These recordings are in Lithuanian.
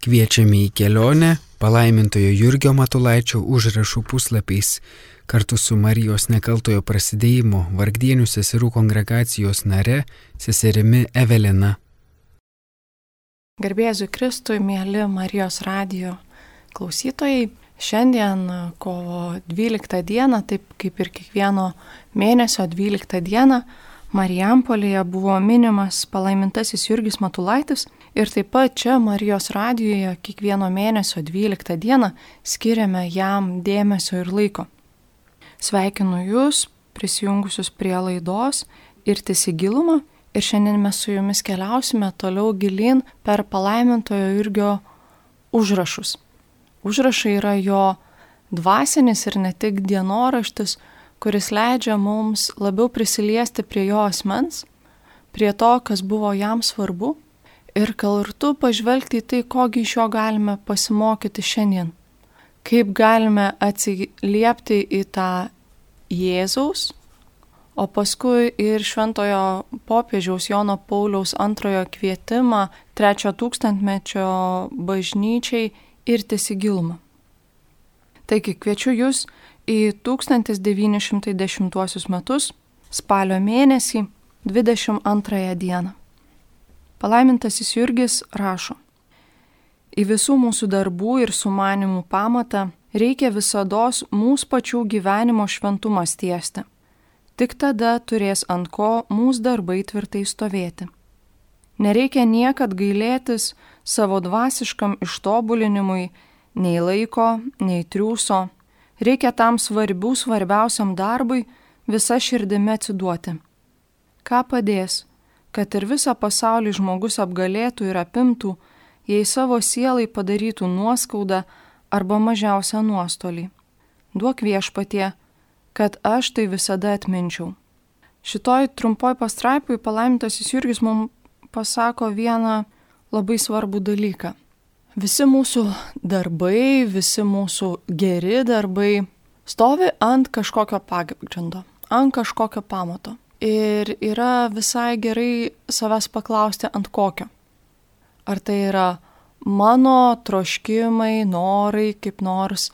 Kviečiame į kelionę palaimintojo Jurgio Matulaičio užrašų puslapiais kartu su Marijos Nekaltojo Prasidėjimo Vargdienių seserų kongregacijos nare seserimi Evelina. Garbė Jėzui Kristui, mėly Marijos radijo klausytojai, šiandien kovo 12 dieną, taip kaip ir kiekvieno mėnesio 12 dieną, Marijampolėje buvo minimas palaimintasis Jurgis Matulaitis ir taip pat čia Marijos radijoje kiekvieno mėnesio 12 dieną skiriame jam dėmesio ir laiko. Sveikinu Jūs prisijungusius prie laidos Irtis į gilumą ir šiandien mes su Jumis keliausime toliau gilyn per palaimintojo Jurgio užrašus. Užrašai yra jo dvasinis ir ne tik dienoraštis, kuris leidžia mums labiau prisiliesti prie jo asmens, prie to, kas buvo jam svarbu ir kartu pažvelgti į tai, kogi iš jo galime pasimokyti šiandien. Kaip galime atsiliepti į tą Jėzaus, o paskui ir šventojo popiežiaus Jono Pauliaus II kvietimą 3 tūkstantmečio bažnyčiai irtis į gilumą. Taigi kviečiu Jūs į 1910 metus, spalio mėnesį, 22 dieną. Palaimintasis Jurgis rašo: Į visų mūsų darbų ir sumanimų pamatą reikia visados mūsų pačių gyvenimo šventumas tiesti. Tik tada turės ant ko mūsų darbai tvirtai stovėti. Nereikia niekad gailėtis savo dvasiškam ištobulinimui nei laiko, nei triūso. Reikia tam svarbiausiam darbui visa širdimi atsiduoti. Ką padės, kad ir visą pasaulį žmogus apgalėtų ir apimtų, jei savo sielai padarytų nuoskaudą arba mažiausią nuostolį. Duok Viešpatie, kad aš tai visada atminčiau. Šitoj trumpoj pastraipui palaimintasis Jurgis mums pasako vieną labai svarbų dalyką. Visi mūsų darbai, visi mūsų geri darbai stovi ant kažkokio pagrindo, ant kažkokio pamato. Ir yra visai gerai savęs paklausti, ant kokio. Ar tai yra mano troškimai, norai, kaip nors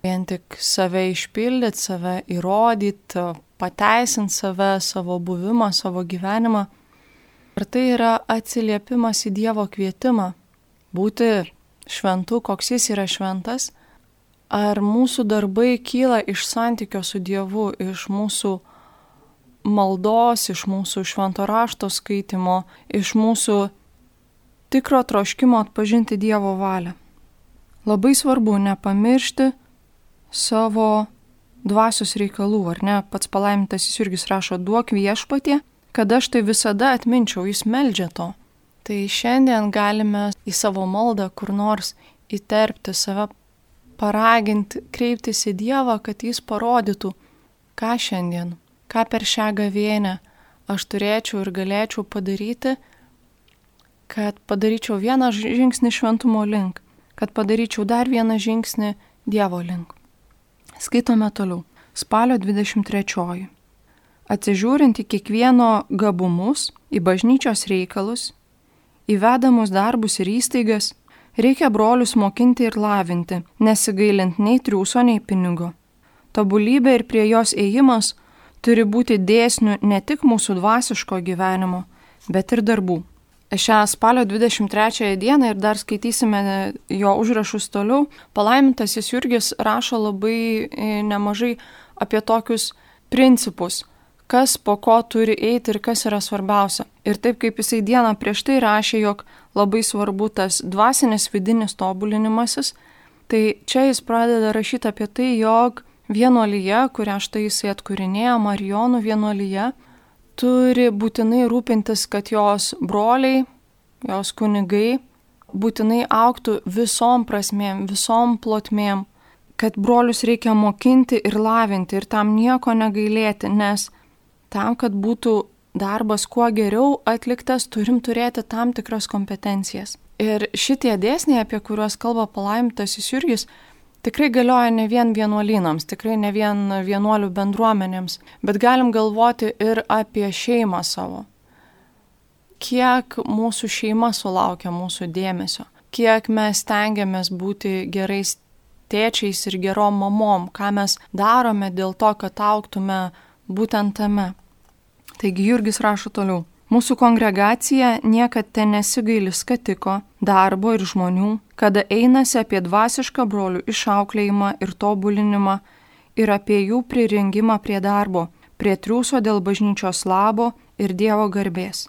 vien tik save išpildyti, save įrodyti, pateisinti save, savo buvimą, savo gyvenimą. Ar tai yra atsiliepimas į Dievo kvietimą būti šventu, koks jis yra šventas, ar mūsų darbai kyla iš santykio su Dievu, iš mūsų maldos, iš mūsų švento rašto skaitimo, iš mūsų tikro troškimo atpažinti Dievo valią. Labai svarbu nepamiršti savo dvasios reikalų, ar ne? Pats palaimintasis Jurgis rašo: duok Viešpatie, kad aš tai visada atminčiau, jis meldžia to. Tai šiandien galime į savo maldą kur nors įterpti save, paraginti, kreiptis į Dievą, kad jis parodytų, ką šiandien, ką per šią gavėnią aš turėčiau ir galėčiau padaryti, kad padaryčiau vieną žingsnį šventumo link, kad padaryčiau dar vieną žingsnį Dievo link. Skaitome toliau. Spalio 23. Atsižiūrint į kiekvieno gabumus, į bažnyčios reikalus, įvedamus darbus ir įstaigas, reikia brolius mokinti ir lavinti, nesigailint nei triūso, nei pinigo. Tobulybė ir prie jos ėjimas turi būti dėsnių ne tik mūsų dvasiško gyvenimo, bet ir darbų. Šią spalio 23 dieną ir dar skaitysime jo užrašus toliau, palaimintasis Jurgis rašo labai nemažai apie tokius principus, kas po ko turi eiti ir kas yra svarbiausia. Ir taip kaip jisai dieną prieš tai rašė, jog labai svarbu tas dvasinis vidinis tobulinimasis, tai čia jis pradeda rašyti apie tai, jog vienuolyje, kurią štai jisai atkūrinėja, Marijonų vienuolyje, turi būtinai rūpintis, kad jos broliai, jos kunigai būtinai augtų visom prasmėm, visom plotmėm, kad brolius reikia mokinti ir lavinti ir tam nieko negailėti, nes tam, kad būtų darbas kuo geriau atliktas, turim turėti tam tikras kompetencijas. Ir šitie dėsniai, apie kuriuos kalba palaimintasis Jurgis, tikrai galioja ne vien vienuolynams, tikrai ne vien vienuolių bendruomenėms, bet galim galvoti ir apie šeimą savo. Kiek mūsų šeima sulaukia mūsų dėmesio, kiek mes stengiamės būti gerais tėčiais ir gerom mamom, ką mes darome dėl to, kad augtume būtent tame. Taigi Jurgis rašo toliau. Mūsų kongregacija niekad ten nesigaili skatiko, darbo ir žmonių, kada einasi apie dvasišką brolių išauklėjimą ir tobulinimą ir apie jų prirengimą prie darbo, prie triūso dėl bažnyčios labo ir Dievo garbės.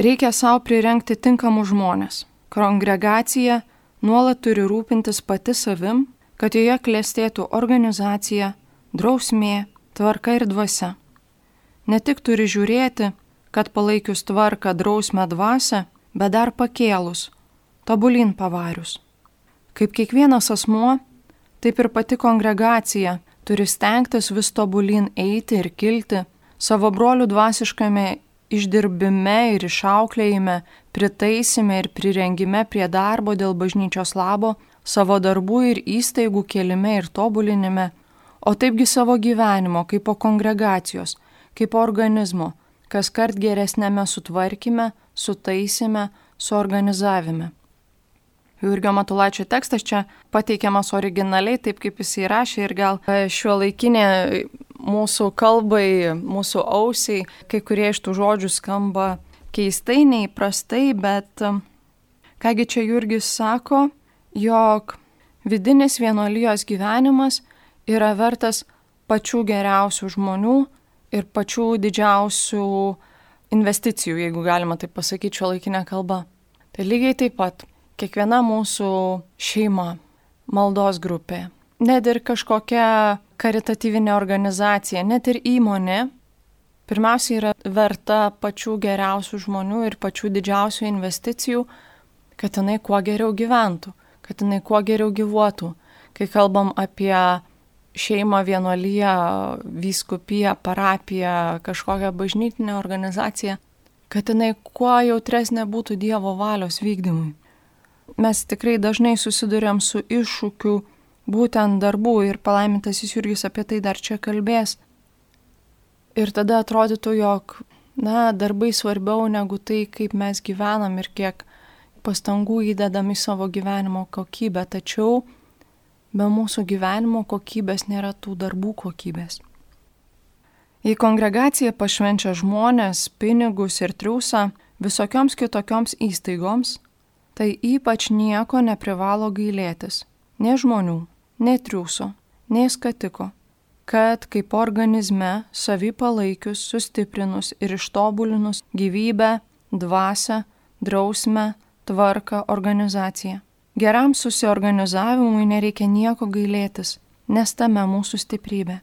Reikia savo prirengti tinkamus žmonės. Kongregacija nuolat turi rūpintis pati savim, kad joje klestėtų organizacija, drausmė, tvarka ir dvasia. Ne tik turi žiūrėti, kad palaikius tvarką, drausmę, dvasią, bet dar pakėlus, tobulin pavarius. Kaip kiekvienas asmuo, taip ir pati kongregacija turi stengtis vis tobulin eiti ir kilti, savo brolių dvasiškame išdirbime ir išauklėjime, pritaisime ir prirengime prie darbo dėl bažnyčios labo, savo darbų ir įstaigų kėlime ir tobulinime, o taipgi savo gyvenimo kaip po kongregacijos, kaip po organizmo, kas kart geresnėme sutvarkyme, sutaisime, suorganizavime. Jurgio Matulaičio tekstas čia pateikiamas originaliai, taip kaip jis įrašė ir gal šiuolaikinė mūsų kalbai, mūsų ausiai, kai kurie iš tų žodžių skamba keistai, neįprastai, bet kągi čia Jurgis sako, jog vidinis vienuolijos gyvenimas yra vertas pačių geriausių žmonių ir pačių didžiausių investicijų, jeigu galima taip pasakyti šiuolaikinė kalba. Tai lygiai taip pat kiekviena mūsų šeima, maldos grupė, net ir kažkokia karitatyvinė organizacija, net ir įmonė, pirmiausia yra verta pačių geriausių žmonių ir pačių didžiausių investicijų, kad jinai kuo geriau gyventų, kad jinai kuo geriau gyvuotų. Kai kalbam apie šeimą, vienuoliją, vyskupiją, parapiją, kažkokią bažnytinę organizaciją, kad jinai kuo jautresnė būtų Dievo valios vykdymui. Mes tikrai dažnai susiduriam su iššūkiu būtent darbų ir palaimintasis Jurgis apie tai dar čia kalbės. Ir tada atrodytų, jog, darbai svarbiau negu tai, kaip mes gyvenam ir kiek pastangų įdedam į savo gyvenimo kokybę, tačiau be mūsų gyvenimo kokybės nėra tų darbų kokybės. Jei kongregacija pašvenčia žmonės, pinigus ir triūsą visokioms kitokioms įstaigoms, tai ypač nieko neprivalo gailėtis, nei žmonių, nei triūso, nei skatiko, kad kaip organizme savį palaikius, sustiprinus ir ištobulinus gyvybę, dvasią, drausmę, tvarką, organizaciją. Geram susiorganizavimui nereikia nieko gailėtis, nes tame mūsų stiprybė.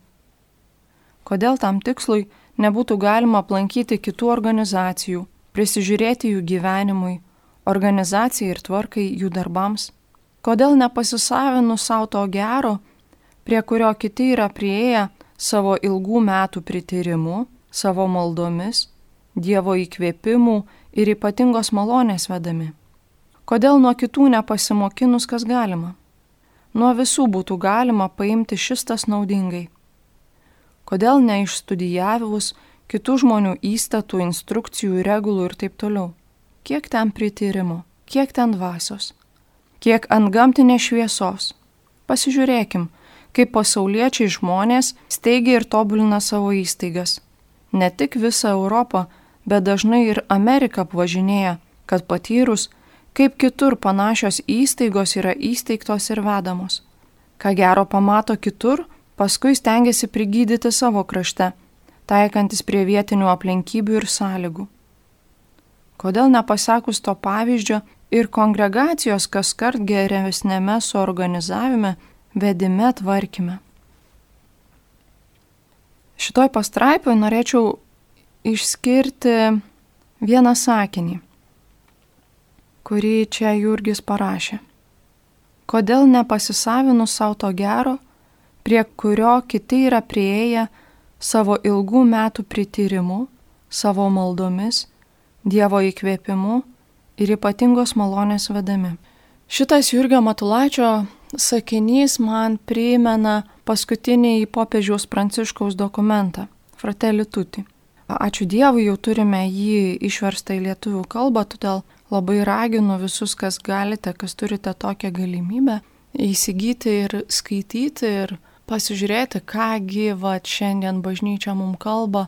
Kodėl tam tikslui nebūtų galima aplankyti kitų organizacijų, prisižiūrėti jų gyvenimui, organizacijai ir tvarkai jų darbams? Kodėl nepasisavinus savo to gero, prie kurio kiti yra priėję savo ilgų metų prityrimu, savo maldomis, Dievo įkvėpimų ir ypatingos malonės vedami? Kodėl nuo kitų nepasimokinus, kas galima? Nuo visų būtų galima paimti šis tas naudingai. Kodėl neišstudijavus kitų žmonių įstatų, instrukcijų, regulų ir taip toliau? Kiek ten prityrimo, kiek ten dvasios, kiek antgamtinės šviesos? Pasižiūrėkim, kaip pasauliečiai žmonės steigia ir tobulina savo įstaigas. Ne tik visą Europą, bet dažnai ir Ameriką apvažinėja, kad patyrus, kaip kitur panašios įstaigos yra įsteigtos ir vedamos. Ką gero pamato kitur, paskui stengiasi prigydyti savo krašte, taikantis prie vietinių aplinkybių ir sąlygų. Kodėl nepasakus to pavyzdžio ir kongregacijos kaskart geresnėme suorganizavime, vedime, tvarkyme? Šitoj pastraipoj norėčiau išskirti vieną sakinį, kurį čia Jurgis parašė. Kodėl nepasisavinus savo to gero, prie kurio kiti yra priėję savo ilgų metų prityrimu, savo maldomis, Dievo įkvėpimu ir ypatingos malonės vedami? Šitas Jurgio Matulaičio sakinys man primena paskutinį popiežiaus Pranciškaus dokumentą Fratelli Tutti. Ačiū Dievui, jau turime jį išverstą į lietuvių kalbą, todėl labai raginu visus, kas galite, kas turite tokią galimybę, įsigyti ir skaityti ir pasižiūrėti, kągi šiandien bažnyčia mums kalba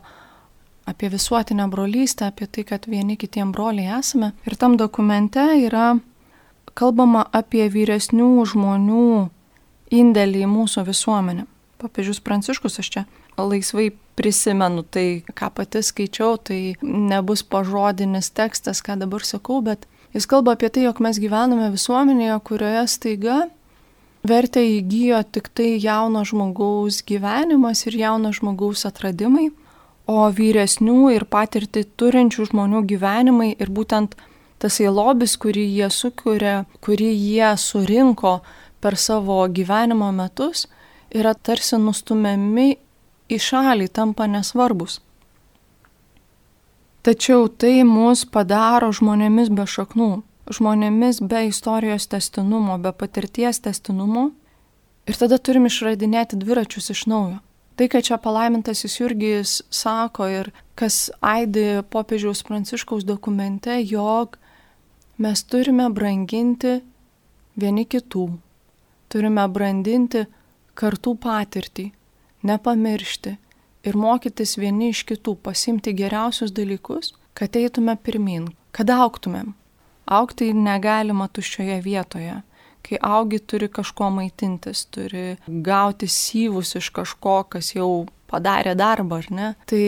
apie visuotinę brolystę, apie tai, kad vieni kitiem broliai esame. Ir tam dokumente yra kalbama apie vyresnių žmonių indėlį į mūsų visuomenę. Popiežius Pranciškus, aš čia laisvai prisimenu tai, ką pati skaičiau, tai nebus pažodinis tekstas, ką dabar sakau, bet jis kalba apie tai, jog mes gyvename visuomenėje, kurioje staiga vertę įgyjo tik tai jauno žmogaus gyvenimas ir jauno žmogaus atradimai, o vyresnių ir patirtį turinčių žmonių gyvenimai ir būtent tasai lobis, kurį jie sukuria, kurį jie surinko per savo gyvenimo metus, yra tarsi nustumiami į šalį, tampa nesvarbus. Tačiau tai mus padaro žmonėmis be šaknų, žmonėmis be istorijos tęstinumo, be patirties tęstinumo ir tada turim išradinėti dviračius iš naujo. Tai, kad čia palaimintasis Jurgis sako ir kas aidi popiežiaus Pranciškaus dokumente, jog mes turime branginti vieni kitų, turime brandinti kartų patirtį, nepamiršti ir mokytis vieni iš kitų, pasimti geriausius dalykus, kad eitume pirmin, kad augtumėm. Augti negalima tuščioje vietoje. Kai augi, turi kažko maitintis, turi gauti syvus iš kažko, kas jau padarė darbą, ar ne? Tai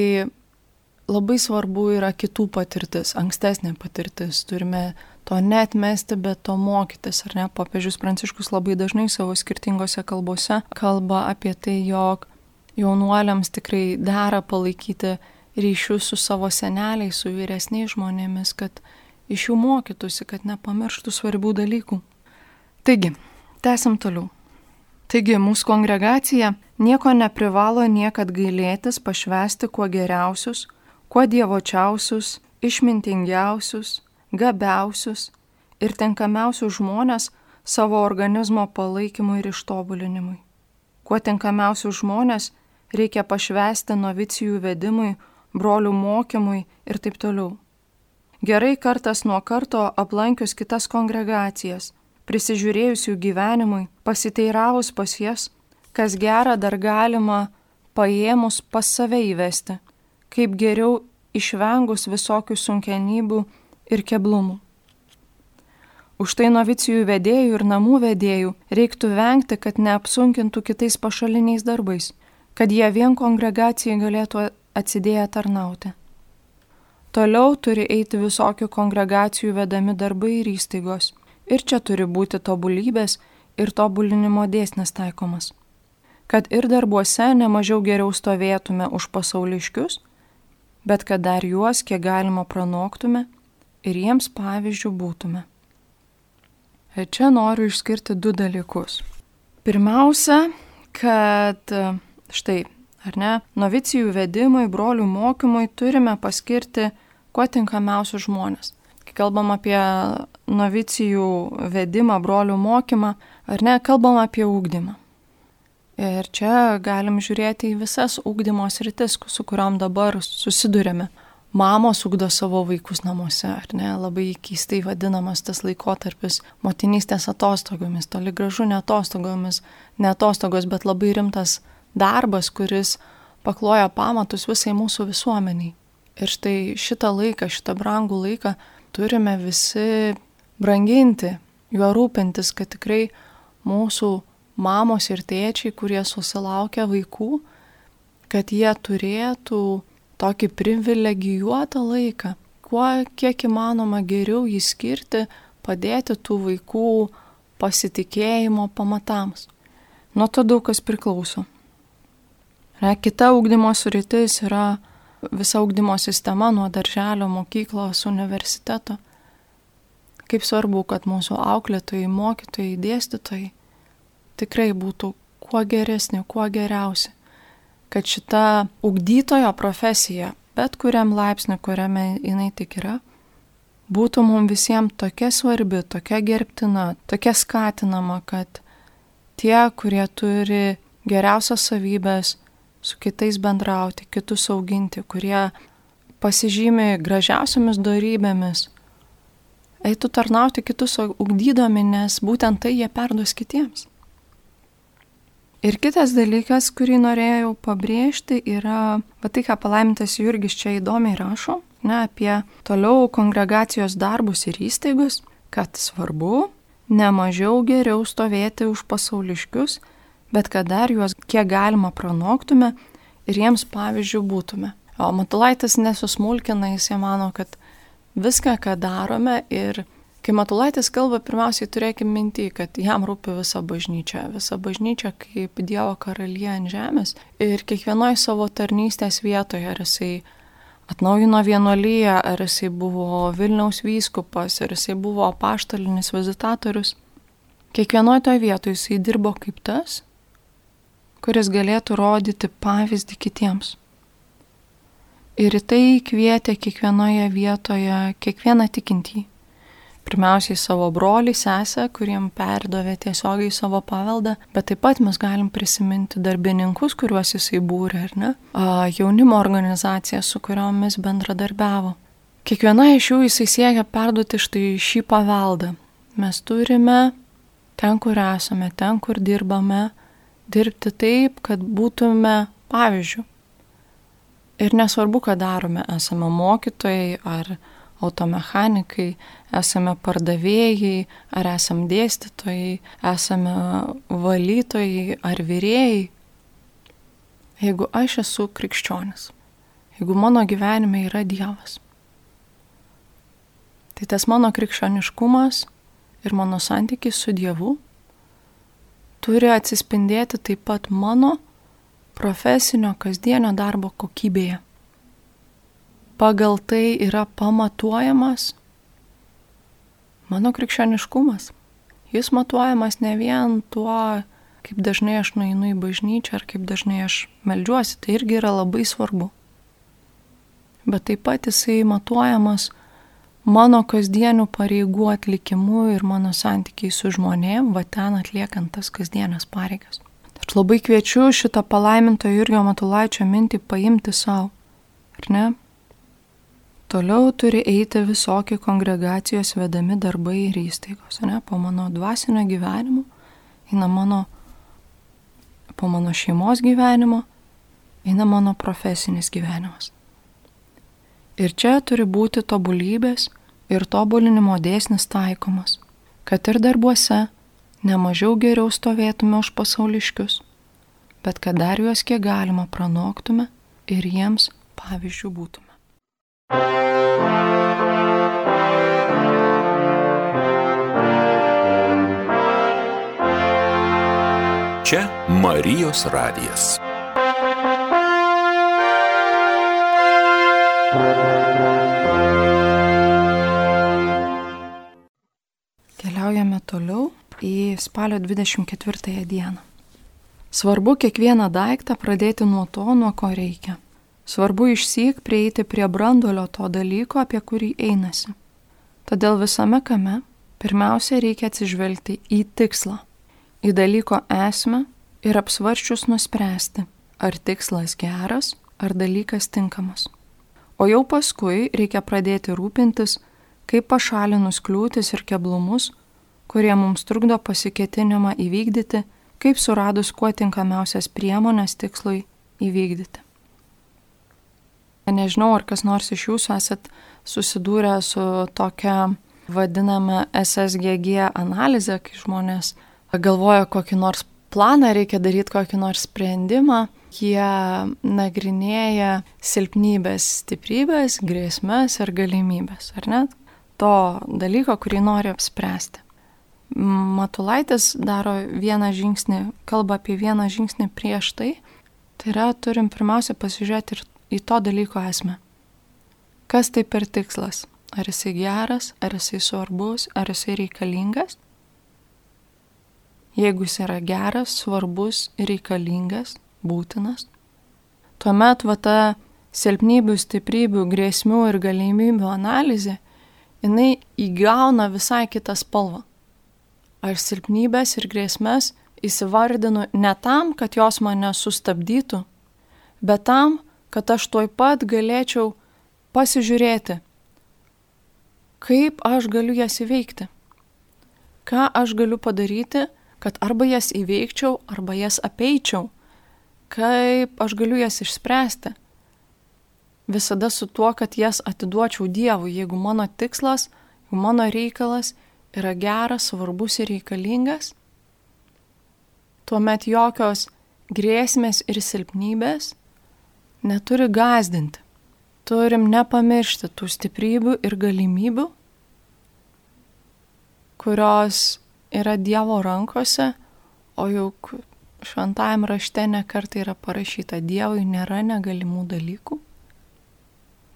labai svarbu yra kitų patirtis, ankstesnė patirtis. Turime to neatmesti, bet to mokytis, ar ne? Popiežius Pranciškus labai dažnai savo skirtingose kalbose kalba apie tai, jog jaunuoliams tikrai dera palaikyti ryšius su savo seneliais, su vyresniais žmonėmis, kad iš jų mokytųsi, kad nepamirštų svarbių dalykų. Taigi, tęsim toliau. Taigi, mūsų kongregacija nieko neprivalo niekad gailėtis pašvęsti kuo geriausius, kuo dievočiausius, išmintingiausius, gabiausius ir tinkamiausius žmonės savo organizmo palaikymui ir ištobulinimui. Kuo tinkamiausius žmonės reikia pašvęsti novicijų vedimui, brolių mokymui ir taip toliau. Gerai kartas nuo karto aplankius kitas kongregacijas, prisižiūrėjus jų gyvenimui, pasiteiravus pas jas, kas gera dar galima paėmus pas save įvesti, kaip geriau išvengus visokių sunkenybių ir keblumų. Už tai novicijų vedėjų ir namų vedėjų reiktų vengti, kad neapsunkintų kitais pašaliniais darbais, kad jie vien kongregacijai galėtų atsidėję tarnauti. Toliau turi eiti visokių kongregacijų vedami darbai ir įstaigos. Ir čia turi būti tobulybės ir tobulinimo dėsnis taikomas. Kad ir darbuose nemažiau geriau stovėtume už pasauliškius, bet kad dar juos kiek galima pranoktume ir jiems pavyzdžių būtume. Ir čia noriu išskirti 2 dalykus. Pirmiausia, kad štai, ar ne, novicijų vedimui, brolių mokymui turime paskirti kuo tinkamiausius žmonės. Kai kalbam apie novicijų vedimą, brolių mokymą, ar ne, kalbam apie ugdymą. Ir čia galim žiūrėti į visas ugdymo sritis, su kuriom dabar susidurėme. Mamos ugdo savo vaikus namuose, ar ne, labai keistai vadinamas tas laikotarpis motinystės atostogomis, toli gražu ne atostogomis, ne atostogos, bet labai rimtas darbas, kuris pakloja pamatus visai mūsų visuomeniai. Ir štai šitą laiką, šitą brangų laiką turime visi branginti, juo rūpintis, kad tikrai mūsų mamos ir tėčiai, kurie susilaukia vaikų, kad jie turėtų tokį privilegijuotą laiką, kiek įmanoma geriau jį skirti, padėti tų vaikų pasitikėjimo pamatams. Nuo to daug kas priklauso. Kita ugdymo sritis yra visa ugdymo sistema nuo darželio, mokyklos, universiteto. Kaip svarbu, kad mūsų auklėtojai, mokytojai, dėstytojai tikrai būtų kuo geresni, kuo geriausi. Kad šita ugdytojo profesija, bet kuriam laipsniu, kuriame jinai tik yra, būtų mums visiems tokia svarbi, tokia gerbtina, tokia skatinama, kad tie, kurie turi geriausias savybės, su kitais bendrauti, kitus auginti, kurie pasižymi gražiausiamis dorybėmis, eitų tarnauti kitus ugdydami, nes būtent tai jie perduos kitiems. Ir kitas dalykas, kurį norėjau pabrėžti, yra tai, ką palaimintas Jurgis čia įdomiai rašo, apie toliau kongregacijos darbus ir įstaigus, kad svarbu ne mažiau geriau stovėti už pasauliškius, bet kad dar juos kiek galima pranoktume ir jiems pavyzdžių būtume. O Matulaitis nesusmulkina, jis mano, kad viską, ką darome ir kai Matulaitis kalba, pirmiausiai turėkime mintį, kad jam rūpi visa bažnyčia kaip Dievo karalija ant žemės ir kiekvienoje savo tarnystės vietoje, ar jisai atnaujino vienuoliją, ar jisai buvo Vilniaus vyskupas, ar jisai buvo apaštalinis vizitatorius. Kiekvienoje toje vietoje jisai dirbo kaip tas, kuris galėtų rodyti pavyzdį kitiems. Ir į tai kvietė kiekvienoje vietoje kiekvieną tikintį. Pirmiausiai savo brolį, sesę, kuriem perdavė tiesiogiai savo paveldą, bet taip pat mes galim prisiminti darbininkus, kuriuos jisai būrė, ar ne? Jaunimo organizacija, su kuriomis bendradarbiavo. Kiekviena iš jų jisai siekia perduoti štai šį paveldą. Mes turime ten, kur esame, ten, kur dirbame, dirbti taip, kad būtume pavyzdžių. Ir nesvarbu, ką darome, esame mokytojai ar automechanikai, esame pardavėjai, ar esame dėstytojai, esame valytojai ar virėjai. Jeigu aš esu krikščionis, jeigu mano gyvenime yra Dievas, tai tas mano krikščioniškumas ir mano santykis su Dievu turi atsispindėti taip pat mano profesinio kasdienio darbo kokybėje. Pagal tai yra pamatuojamas mano krikščioniškumas. Jis matuojamas ne vien tuo, kaip dažnai aš nueinu į bažnyčią ar kaip dažnai aš meldžiuosi, tai irgi yra labai svarbu. Bet taip pat jisai matuojamas mano kasdienių pareigų atlikimu ir mano santykiai su žmonėm, ten atliekant tas kasdienės pareigas. Aš labai kviečiu šitą palaiminto Jurgio Matulaičio mintį paimti savo, ar ne? Toliau turi eiti visokie kongregacijos vedami darbai ir įstaigos, ne? Po mano dvasinio gyvenimo, po mano šeimos gyvenimo, eina mano profesinis gyvenimas. Ir čia turi būti tobulybės ir tobulinimo dėsnis taikomas, kad ir darbuose ne mažiau geriau stovėtume už pasauliškius, bet kad dar juos kiek galima pranoktume ir jiems pavyzdžių būtume. Čia Marijos radijas. Keliaujame toliau į spalio 24 dieną. Svarbu kiekvieną daiktą pradėti nuo to, nuo ko reikia. Svarbu išsyk prieiti prie branduolio to dalyko, apie kurį einasi. Todėl visame kame pirmiausia reikia atsižvelgti į tikslą, į dalyko esmę ir apsvarsčius nuspręsti, ar tikslas geras, ar dalykas tinkamas. O jau paskui reikia pradėti rūpintis, kaip pašalinus kliūtis ir keblumus, kurie mums trukdo pasiketinimą įvykdyti, kaip suradus kuo tinkamiausias priemonės tikslui įvykdyti. Nežinau, ar kas nors iš jūsų esat susidūrę su tokia vadinama SSGG analizė, kai žmonės galvoja kokį nors planą, reikia daryti kokį nors sprendimą, jie nagrinėja silpnybės, stiprybės, grėsmės ir galimybės, ar ne? To dalyko, kurį nori apspręsti. Matulaitis daro vieną žingsnį, kalba apie vieną žingsnį prieš tai. Tai yra, turim pirmiausia pasižiūrėti ir į to dalyko esmę. Kas tai per tikslas? Ar jisai geras, ar jisai svarbus, ar jisai reikalingas? Jeigu jis yra geras, svarbus, reikalingas, būtinas, tuomet ta silpnybių, stiprybių, grėsmių ir galimybių analizė, jinai įgauna visai kitą spalvą. Aš silpnybės ir grėsmės įsivardinu ne tam, kad jos mane sustabdytų, bet tam, kad aš tuoj pat galėčiau pasižiūrėti, kaip aš galiu jas įveikti? Ką aš galiu padaryti, kad arba jas įveikčiau, arba jas apeičiau? Kaip aš galiu jas išspręsti? Visada su tuo, kad jas atiduočiau Dievui, jeigu mano tikslas, jeigu mano reikalas yra geras, svarbus ir reikalingas, tuomet jokios grėsmės ir silpnybės neturi gąsdinti. Turim nepamiršti tų stiprybių ir galimybių, kurios yra Dievo rankose, o juk šventajam rašte nekartai yra parašyta: Dievui nėra negalimų dalykų.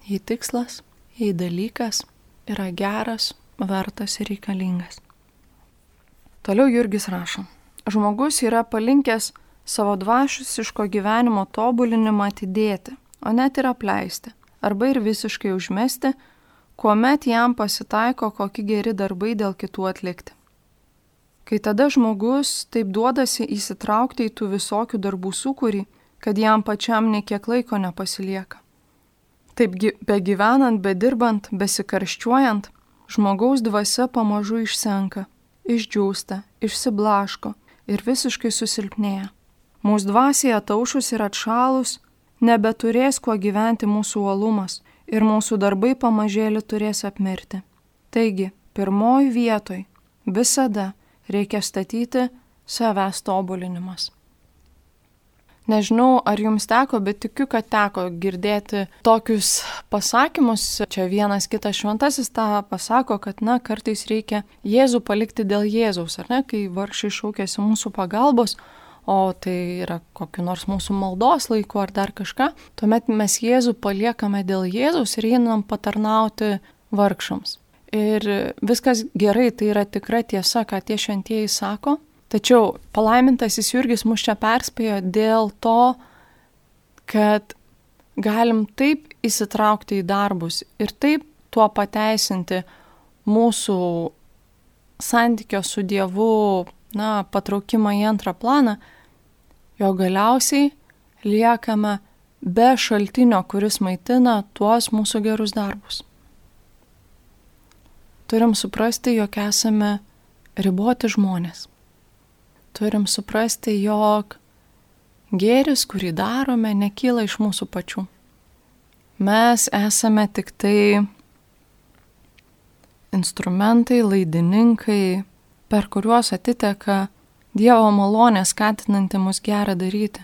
Jei tikslas, jei dalykas yra geras, vertas ir reikalingas. Toliau Jurgis rašo: žmogus yra palinkęs savo dvasiško gyvenimo tobulinimą atidėti, o net ir apleisti, arba ir visiškai užmesti, kuomet jam pasitaiko kokie geri darbai dėl kitų atlikti. Kai tada žmogus taip duodasi įsitraukti į tų visokių darbų sūkurį, kad jam pačiam nekiek laiko nepasilieka. Taip begyvenant, bedirbant, besikarščiuojant, žmogaus dvasia pamažu išsenka, išdžiūsta, išsiblaško ir visiškai susilpnėja. Mūsų dvasiai ataušus ir atšalus nebeturės kuo gyventi mūsų uolumas ir mūsų darbai pamažėlį turės apmirti. Taigi, pirmoj vietoj visada reikia statyti savęs tobulinimas. Nežinau, ar jums teko, bet tikiu, kad teko girdėti tokius pasakymus. Čia vienas kitas šventasis tą pasako, kad kartais reikia Jėzų palikti dėl Jėzaus, ar ne, kai vargšai šaukėsi mūsų pagalbos, o tai yra kokiu nors mūsų maldos laiku ar dar kažką, tuomet mes Jėzų paliekame dėl Jėzaus ir einam patarnauti vargšams. Ir viskas gerai, tai yra tikra tiesa, ką tie šventieji sako. Tačiau palaimintasis Jurgis mus čia perspėjo dėl to, kad galim taip įsitraukti į darbus ir taip tuo pateisinti mūsų santykio su Dievu, patraukimą į antrą planą, jo galiausiai liekame be šaltinio, kuris maitina tuos mūsų gerus darbus. Turim suprasti, jog esame riboti žmonės. Turim suprasti, jog gėris, kurį darome, nekyla iš mūsų pačių. Mes esame tik tai instrumentai, laidininkai, per kuriuos atiteka Dievo malonė skatinanti mus gerą daryti.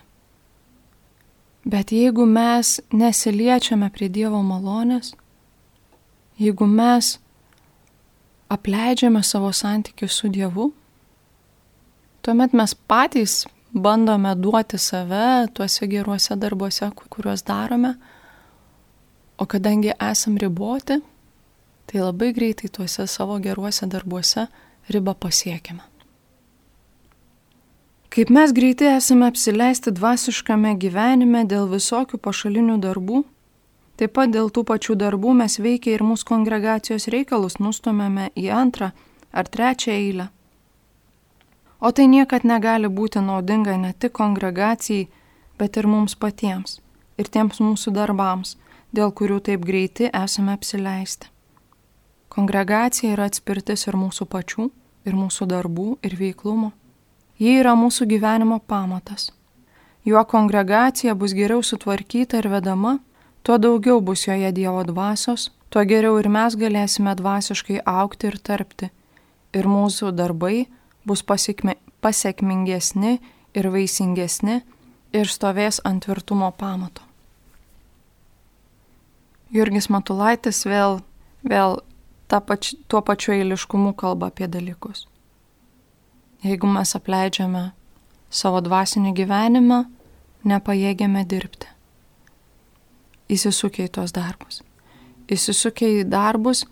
Bet jeigu mes nesiliečiame prie Dievo malonės, jeigu mes apleidžiame savo santykius su Dievu, tuomet mes patys bandome duoti save tuose geruose darbuose, kuriuos darome, o kadangi esam riboti, tai labai greitai tuose savo geruose darbuose ribą pasiekime. Kaip mes greitai esame apsileisti dvasiškame gyvenime dėl visokių pašalinių darbų, taip pat dėl tų pačių darbų mes veikia ir mūsų kongregacijos reikalus nustumėme į antrą ar trečią eilę. O tai niekad negali būti naudinga ne tik kongregacijai, bet ir mums patiems ir tiems mūsų darbams, dėl kurių taip greiti esame apsileisti. Kongregacija yra atspirtis ir mūsų pačių, ir mūsų darbų, ir veiklumo. Ji yra mūsų gyvenimo pamatas. Juo kongregacija bus geriau sutvarkyta ir vedama, tuo daugiau bus joje Dievo dvasios, tuo geriau ir mes galėsime dvasiškai augti ir tarpti. Ir mūsų darbai bus pasekmingesni ir vaisingesni ir stovės ant tvirtumo pamato. Jurgis Matulaitis vėl tuo pačiu eiliškumu kalba apie dalykus. Jeigu mes apleidžiame savo dvasinį gyvenimą, nepajėgiame dirbti. Įsisukę į tuos darbus. Įsisukę į darbus,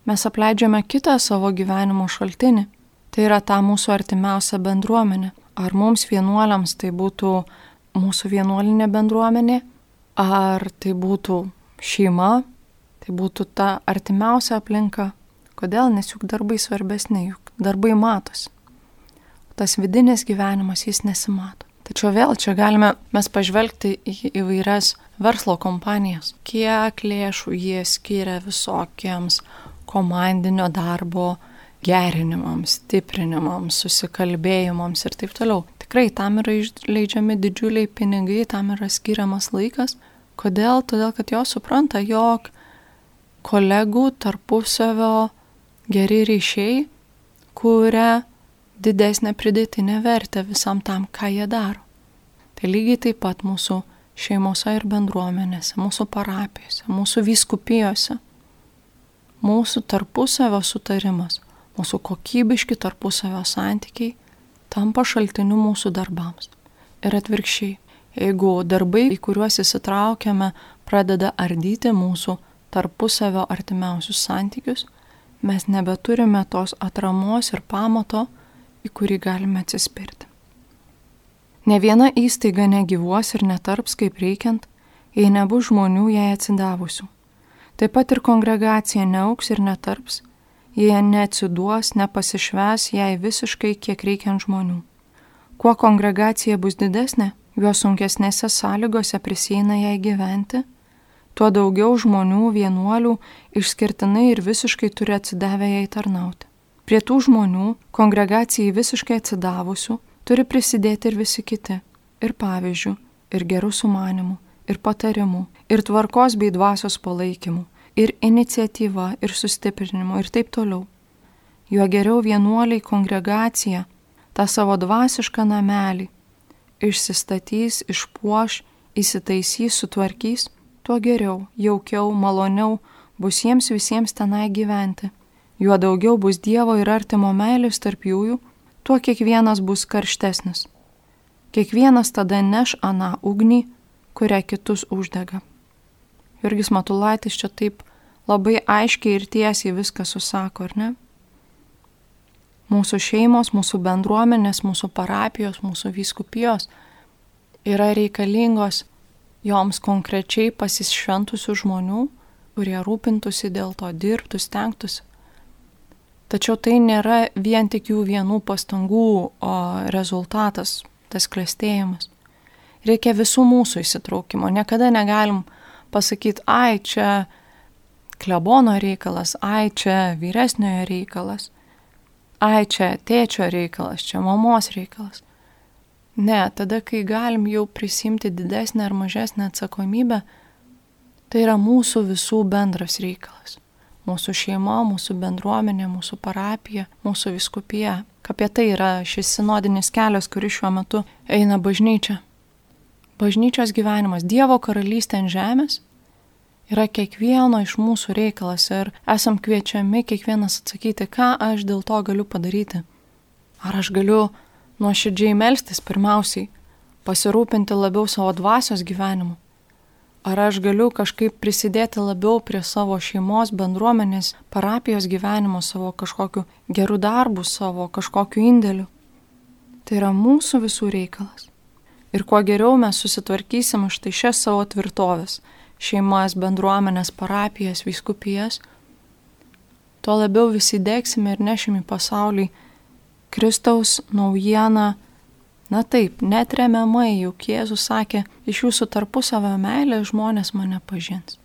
mes apleidžiame kitą savo gyvenimo šaltinį. Tai yra ta mūsų artimiausia bendruomenė. Ar mums vienuoliams tai būtų mūsų vienuolinė bendruomenė, ar tai būtų šeima, tai būtų ta artimiausia aplinka. Kodėl? Nes juk darbai svarbesni, juk darbai matosi. Tas vidinis gyvenimas jis nesimato. Tačiau vėl čia galime mes pažvelgti į įvairias verslo kompanijas. Kiek lėšų jie skiria visokiems komandinio darbo gerinimams, stiprinimams, susikalbėjimams ir taip toliau. Tikrai tam yra išleidžiami didžiuliai pinigai, tam yra skiriamas laikas. Kodėl? Todėl, kad jos supranta, jog kolegų tarpusavio geri ryšiai kuria didesnę pridėtinę vertę visam tam, ką jie daro. Tai lygiai taip pat mūsų šeimose ir bendruomenėse, mūsų parapijose, mūsų vyskupijose, mūsų tarpusavio sutarimas, mūsų kokybiški tarpusavio santykiai tampa šaltiniu mūsų darbams. Ir atvirkščiai, jeigu darbai, į kuriuos įsitraukiame, pradeda ardyti mūsų tarpusavio artimiausius santykius, mes nebeturime tos atramos ir pamato, į kurį galime atsispirti. Ne viena įstaiga negyvuos ir netarps kaip reikiant, jei nebus žmonių jai atsidavusių. Taip pat ir kongregacija neauks ir netarps, jei neatsiduos, nepasišves jai visiškai kiek reikiant žmonių. Kuo kongregacija bus didesnė, juo sunkesnėse sąlygose prisieina jai gyventi, tuo daugiau žmonių, vienuolių, išskirtinai ir visiškai turi atsidavę jai tarnauti. Prie tų žmonių, kongregacijai visiškai atsidavusių, turi prisidėti ir visi kiti, ir pavyzdžių, ir gerų sumanimų, ir patarimų, ir tvarkos bei dvasios palaikymų, ir iniciatyva, ir sustiprinimu, ir taip toliau. Juo geriau vienuoliai kongregacija tą savo dvasišką namelį išsistatys, išpuoš, įsitaisys, sutvarkys, tuo geriau, jaukiau, maloniau bus jiems visiems tenai gyventi. Juo daugiau bus Dievo ir artimo meilės tarp jųjų, tuo kiekvienas bus karštesnis. Kiekvienas tada neš aną ugnį, kurią kitus uždega. Jurgis Matulaitis čia taip labai aiškiai ir tiesiai viską susako, ar ne? Mūsų šeimos, mūsų bendruomenės, mūsų parapijos, mūsų vyskupijos yra reikalingos joms konkrečiai pasišventusių žmonių, kurie rūpintųsi dėl to, dirbtų, stengtųsi. Tačiau tai nėra vien tik jų vienų pastangų rezultatas, tas klestėjimas. Reikia visų mūsų įsitraukimo. Niekada negalim pasakyti, ai, čia klebono reikalas, ai, čia vyresniojo reikalas, ai, čia tėčio reikalas, čia mamos reikalas. Ne, tada, kai galim jau prisimti didesnę ar mažesnę atsakomybę, tai yra mūsų visų bendras reikalas. Mūsų šeima, mūsų bendruomenė, mūsų parapija, mūsų vyskupija. Apie tai yra šis sinodinis kelias, kuris šiuo metu eina bažnyčia. Bažnyčios gyvenimas, Dievo karalystė ant žemės yra kiekvieno iš mūsų reikalas ir esam kviečiami kiekvienas atsakyti, ką aš dėl to galiu padaryti. Ar aš galiu nuoširdžiai melstis pirmiausiai, pasirūpinti labiau savo dvasios gyvenimu. Ar aš galiu kažkaip prisidėti labiau prie savo šeimos, bendruomenės, parapijos gyvenimo, savo kažkokiu gerų darbų, savo kažkokiu indėliu. Tai yra mūsų visų reikalas. Ir kuo geriau mes susitvarkysim štai šias savo tvirtovės, šeimas, bendruomenės, parapijas, vyskupijas, tuo labiau visi degsime ir nešim į pasaulį Kristaus naujieną. Na taip, netremiamai, juk Jėzus sakė, iš jūsų tarpusavio meilė žmonės mane pažins.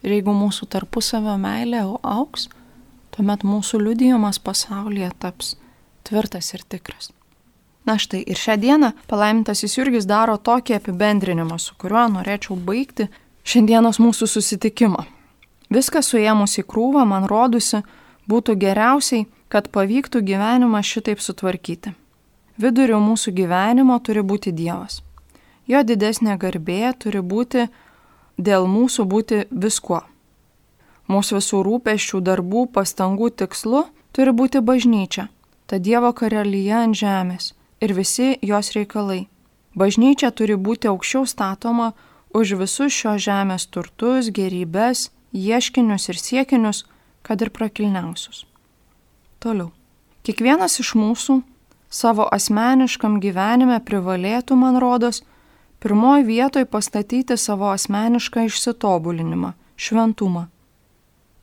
Ir jeigu mūsų tarpusavio meilė auks, tuomet mūsų liudijimas pasaulyje taps tvirtas ir tikras. Na štai, ir šią dieną palaimintasis Jurgis daro tokį apibendrinimą, su kuriuo norėčiau baigti šiandienos mūsų susitikimą. Viską suėmus į krūvą, man rodusi, būtų geriausiai, kad pavyktų gyvenimą šitaip sutvarkyti. Viduriu mūsų gyvenimo turi būti Dievas. Jo didesnė garbė turi būti dėl mūsų būti viskuo. Mūsų visų rūpesčių, darbų, pastangų tikslu turi būti bažnyčia, ta Dievo karalija ant žemės ir visi jos reikalai. Bažnyčia turi būti aukščiau statoma už visus šios žemės turtus, gerybes, ieškinius ir siekinius, kad ir prakilniausius. Toliau. Kiekvienas iš mūsų savo asmeniškam gyvenime privalėtų, man rodos, pirmoji vietoj pastatyti savo asmenišką išsitobulinimą, šventumą.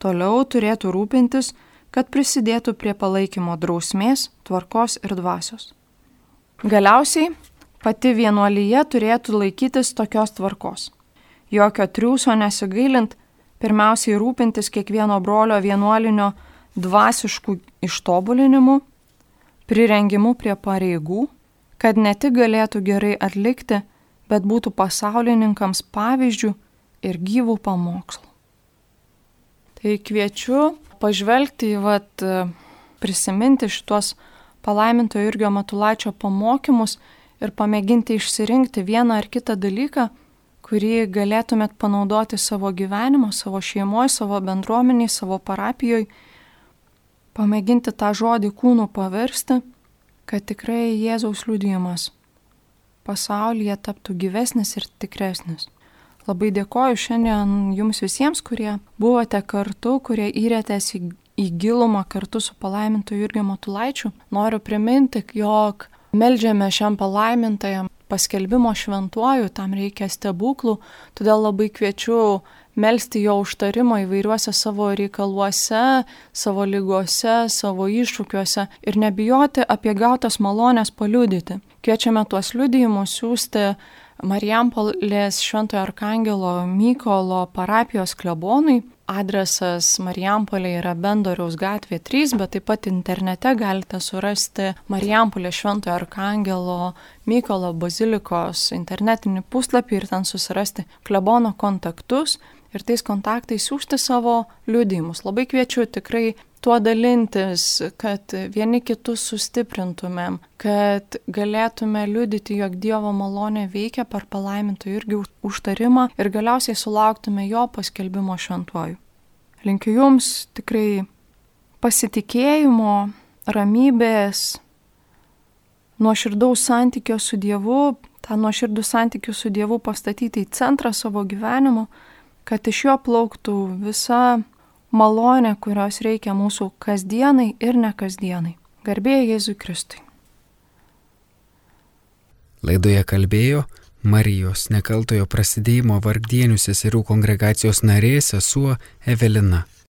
Toliau turėtų rūpintis, kad prisidėtų prie palaikymo drausmės, tvarkos ir dvasios. Galiausiai, pati vienuolyje turėtų laikytis tokios tvarkos. Jokio triūso nesigailint, pirmiausiai rūpintis kiekvieno brolio vienuolinio dvasiškų ištobulinimu, prirengimu prie pareigų, kad ne tik galėtų gerai atlikti, bet būtų pasaulininkams pavyzdžių ir gyvų pamokslų. Tai kviečiu pažvelgti prisiminti šitos palaimintojo Jurgio Matulaičio pamokymus ir pamėginti išsirinkti vieną ar kitą dalyką, kurį galėtumėt panaudoti savo gyvenimo, savo šeimoje, savo bendruomeniai, savo parapijoje, pamėginti tą žodį kūnu paversti, kad tikrai Jėzaus liudijimas pasaulyje taptų gyvesnis ir tikresnis. Labai dėkoju šiandien jums visiems, kurie buvote kartu, kurie įrėtės į gilumą kartu su palaimintoju Jurgiu Matulaičiu. Noriu priminti, jog meldžiame šiam palaimintajam paskelbimo šventuoju, tam reikia stebuklų, todėl labai kviečiu melsti jo užtarimo įvairiuose savo reikaluose, savo ligose, savo iššūkiuose ir nebijoti apie gautas malonės paliudyti. Kviečiame tuos liudijimus siųsti Marijampolės Šventojo Arkangelo Mykolo parapijos klebonui. Adresas Marijampolė yra Bendoriaus gatvė 3, bet taip pat internete galite surasti Marijampolės Šventojo Arkangelo Mykolo bazilikos internetinį puslapį ir ten susirasti klebono kontaktus ir tais kontaktais siųsti savo liudijimus. Labai kviečiu tikrai tuo dalintis, kad vieni kitus sustiprintumėm, kad galėtume liudyti, jog Dievo malonė veikia per palaimintojo Jurgio užtarimą ir galiausiai sulauktume jo paskelbimo šventuoju. Linkiu jums tikrai pasitikėjimo, ramybės, nuoširdaus santykio su Dievu, tą nuoširdų santykių su Dievu pastatyti į centrą savo gyvenimo, kad iš jo plauktų visa malonė, kurios reikia mūsų kasdienai ir nekasdienai. Garbė Jėzui Kristui. Laidoje kalbėjo Marijos nekaltojo prasidėjimo Vargdienių seserų kongregacijos narė sesuo Evelina.